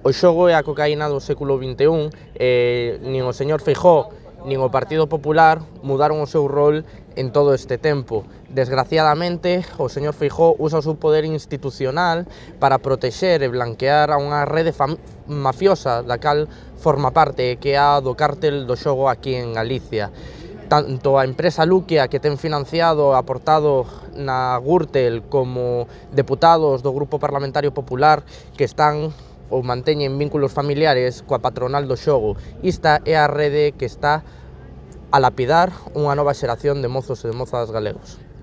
O xogo é a cocaína do século XXI e nin o señor Feijóo nin o Partido Popular mudaron o seu rol en todo este tempo. Desgraciadamente, o señor Feijóo usa o seu poder institucional para protexer e blanquear a unha rede mafiosa da cal forma parte, que é a do cártel do xogo aquí en Galicia. Tanto a empresa Luquia, que ten financiado e aportado na Gürtel, como deputados do Grupo Parlamentario Popular que están ou manteñen vínculos familiares coa patronal do xogo. Esta é a rede que está a lapidar unha nova xeración de mozos e de mozas galegos.